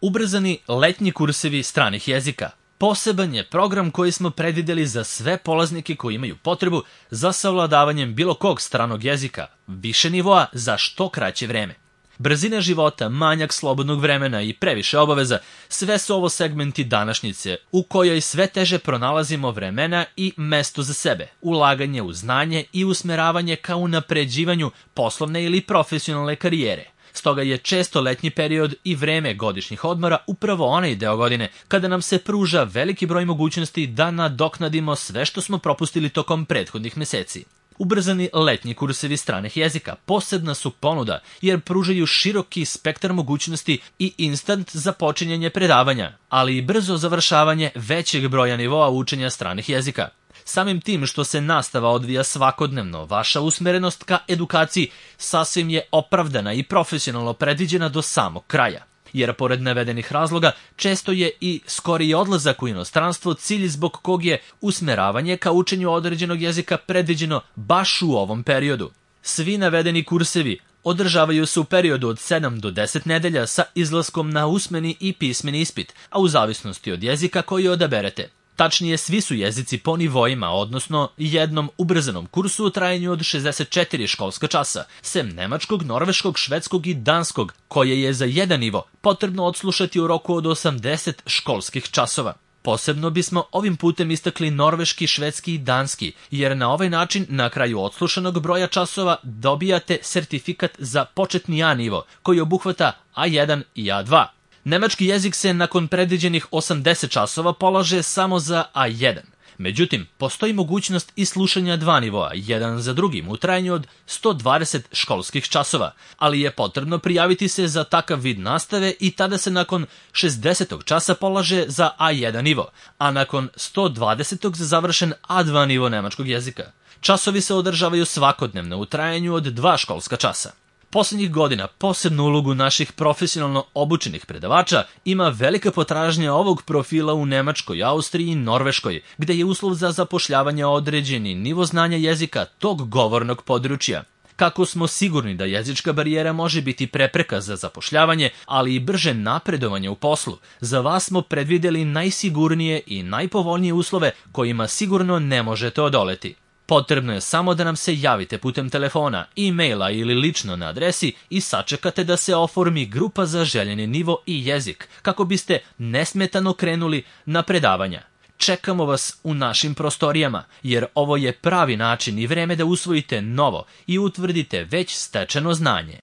Ubrzani letnji kursevi stranih jezika. Poseban je program koji smo predvideli za sve polaznike koji imaju potrebu za savladavanjem bilo kog stranog jezika, više nivoa za što kraće vreme. Brzina života, manjak slobodnog vremena i previše obaveza, sve su ovo segmenti današnjice u kojoj sve teže pronalazimo vremena i mesto za sebe, ulaganje u znanje i usmeravanje ka unapređivanju poslovne ili profesionalne karijere. Stoga je često letnji period i vreme godišnjih odmora upravo onaj deo godine kada nam se pruža veliki broj mogućnosti da nadoknadimo sve što smo propustili tokom prethodnih meseci. Ubrzani letnji kursevi stranih jezika posebna su ponuda jer pružaju široki spektar mogućnosti i instant započinjanje predavanja, ali i brzo završavanje većeg broja nivoa učenja stranih jezika. Samim tim što se nastava odvija svakodnevno, vaša usmerenost ka edukaciji sasvim je opravdana i profesionalno predviđena do samog kraja. Jer pored navedenih razloga, često je i skoriji odlazak u inostranstvo cilj zbog kog je usmeravanje ka učenju određenog jezika predviđeno baš u ovom periodu. Svi navedeni kursevi održavaju se u periodu od 7 do 10 nedelja sa izlaskom na usmeni i pismeni ispit, a u zavisnosti od jezika koji odaberete. Tačnije, svi su jezici po nivoima, odnosno jednom ubrzanom kursu u trajanju od 64 školska časa, sem nemačkog, norveškog, švedskog i danskog, koje je za jedan nivo potrebno odslušati u roku od 80 školskih časova. Posebno bismo ovim putem istakli norveški, švedski i danski, jer na ovaj način na kraju odslušanog broja časova dobijate sertifikat za početni A nivo, koji obuhvata A1 i A2. Nemački jezik se nakon predviđenih 80 časova polaže samo za A1. Međutim, postoji mogućnost i slušanja dva nivoa, jedan za drugim, u trajanju od 120 školskih časova, ali je potrebno prijaviti se za takav vid nastave i tada se nakon 60. časa polaže za A1 nivo, a nakon 120. za završen A2 nivo nemačkog jezika. Časovi se održavaju svakodnevno u trajanju od 2 školska časa. Poslednjih godina posebnu ulogu naših profesionalno obučenih predavača ima velika potražnja ovog profila u Nemačkoj, Austriji i Norveškoj, gde je uslov za zapošljavanje određeni nivo znanja jezika tog govornog područja. Kako smo sigurni da jezička barijera može biti prepreka za zapošljavanje, ali i brže napredovanje u poslu, za vas smo predvideli najsigurnije i najpovoljnije uslove kojima sigurno ne možete odoleti. Potrebno je samo da nam se javite putem telefona, e-maila ili lično na adresi i sačekate da se oformi grupa za željeni nivo i jezik, kako biste nesmetano krenuli na predavanja. Čekamo vas u našim prostorijama, jer ovo je pravi način i vreme da usvojite novo i utvrdite već stečeno znanje.